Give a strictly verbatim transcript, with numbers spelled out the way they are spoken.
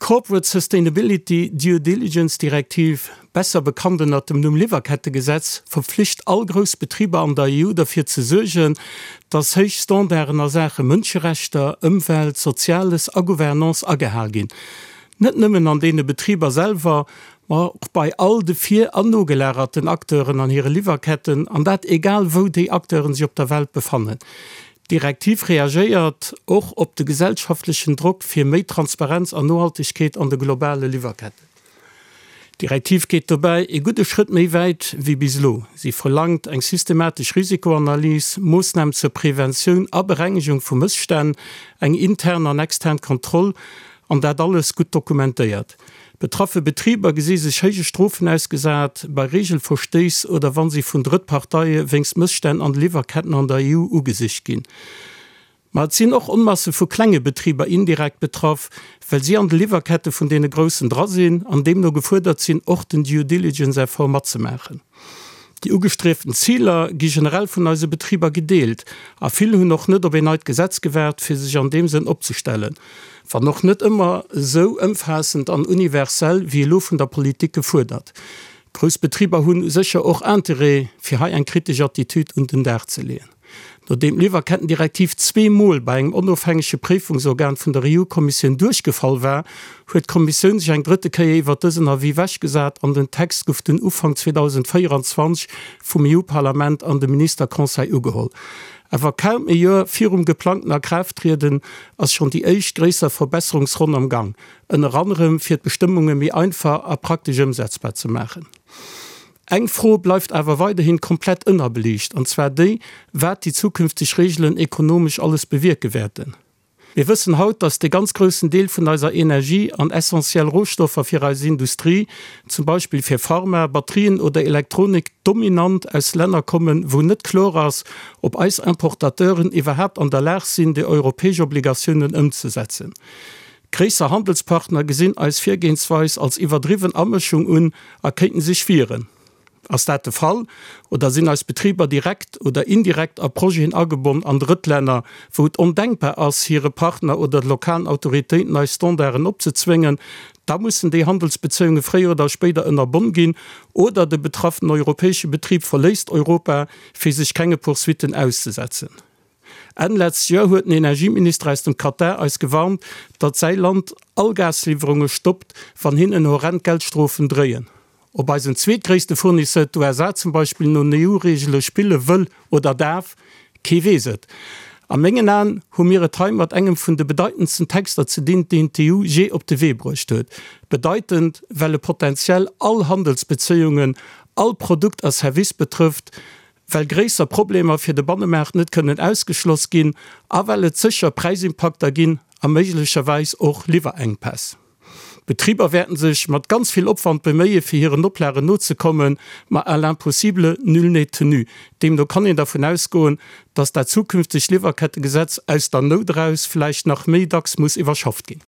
Corporate Sustainability Due Diligence Direktiv, besser bekannt ënner dem Numm Liwwerkettegesetz, verpflicht all grouss Betriber an der E U derfir ze suergen, dass héich Standarden a Saache Mënscherechter, Ëmwelt, Soziales a Gouvernance agehal ginn. Net nëmmen an deene Betriber selwer, ma och bei all de vir an nogelagerten Acteuren an hire Liwwerketten, an dat egal wou déi Acteuren sech op der Welt befannen. D'Direktiv reagéiert och op de gesellschaftlechen Drock fir méi Transparenz an Nohaltegkeet an de globale Liwwerketten. D'Direktiv geet dobäi e gudde Schrëtt méi wäit wéi bis elo. Si verlaangt eng systematesch Risikoanalys, Moossnamen zur Preventioun a Berengegung vu Mësstänn, eng intern an extern Kontroll, an dat alles gutt dokumentéiert. Betraffe Betriber gesi sech héije Strofen ausgesat bei Reegelverstéiss oder wa si vun Drëttparteie wéinst Mësstänn an de Liwwerketten an der E U ugesicht ginn. Ma et sinn och Onmasse vu klenge Betriber indirekt betraff, well si an de Liwwerkette vun deene Groussen dra sinn an deemno gefuerdert sinn, och den Due Diligence Effort matzemaachen. Déi ugestrieften Ziler gi generell vun eise Betriber gedeelt a vill hunn och net op een neit Gesetz gewaart, fir sech an deem Sënn opzestellen, wann och net ëmmer esou ëmfaassend an universell wéi elo vun der Politik gefuerdert. Grouss Betriber hu sécher och Interêt, fir hei eng kritesch Attitüd un den Dag ze leeën. Nodeem d'Liwwerkettendirektiv zwee Mol bei engem onofhängege Préifungsorgan vun der E U-Kommissioun duerchgefall war, huet d'Kommissioun sech eng drëtte Kéier iwwer dësen Avis ewechgesat an den Text gouf dunn Ufank zweedausendvéierenzwanzeg vum E U-Parlament an dem Ministerconseil ugeholl. Awer kaum e Joer virum geplangten Akraafttrieden ass schonn déi éischt gréisser Verbesserungsronn am Gang, ënner anerem fir d'Bestëmmunge méi einfach a praktesch ëmsetzbar ze maachen. Eng Fro bleift awer weiderhin komplett ënnerbeliicht, an zwar déi, wat déi zukünfteg Reegelen ekonomesch alles bewierke wäerten. Mir wëssen haut, dass de ganz groussen Deel vun eiser Energie an essentiell Rohstoffer fir eis Industrie, zum Beispill fir Pharma, Batterien oder Elektronik, dominant aus Länner kommen, wou net kloer ass, ob eis Importateuren iwwerhaapt an der Lag sinn, déi europäesch Obligatiounen ëmzesetzen. Gréisser Handelspartner gesinn eis Virgehensweis als iwwerdriwwen Amëschung un a kéinten sech wieren. Ass dat de Fall oder sinn eis Betriber direkt oder indirekt a Projeten agebonn an Drëttlänner, wou et ondenkbar ass, hire Partner oder de lokalen Autoritéiten eis Standarden opzezwéngen, da mussen déi Handelsbezéiunge fréier oder spéider ënnerbonn ginn oder de betraffenen europäesche Betrib verléisst Europa, fir sech kenge Poursuitten auszesetzen. Enn letzt Joer huet den Energieminister aus dem Katar eis gewarnt, datt säi Land all Gasliwwerunge stoppt, wann hinnen horrend Geldstrofen dréien. Ob eisen zweetgréisste Fournisseur, d'U S A zum Beispill, no den E U-Reegele spille wëll oder däerf, kee weess et. A mengen Aen hu mir et hei mat engem vun de bedeitendsten Texter ze dinn, deen d'E U jee op de Wee bruecht huet. Bedeitend, well e potenziell all Handelsbezéiungen, all Produkt a Service betrëfft, well gréisser Problemer fir de Bannemaart net kënnen ausgeschloss ginn a well et sécher Präisimpakter ginn a méiglecherweis och Liwwerenkpäss. D'Betriber wäerten sech mat ganz vill Opwand beméie fir hiren Oplagen nozekommen, ma à l'impossible nul n'est tenu. Deemno kann een dervun ausgoen, datt dat zukünftegt Liwwerkettegesetz aus der Nout eraus vläicht nach méi dacks muss iwwerschafft ginn.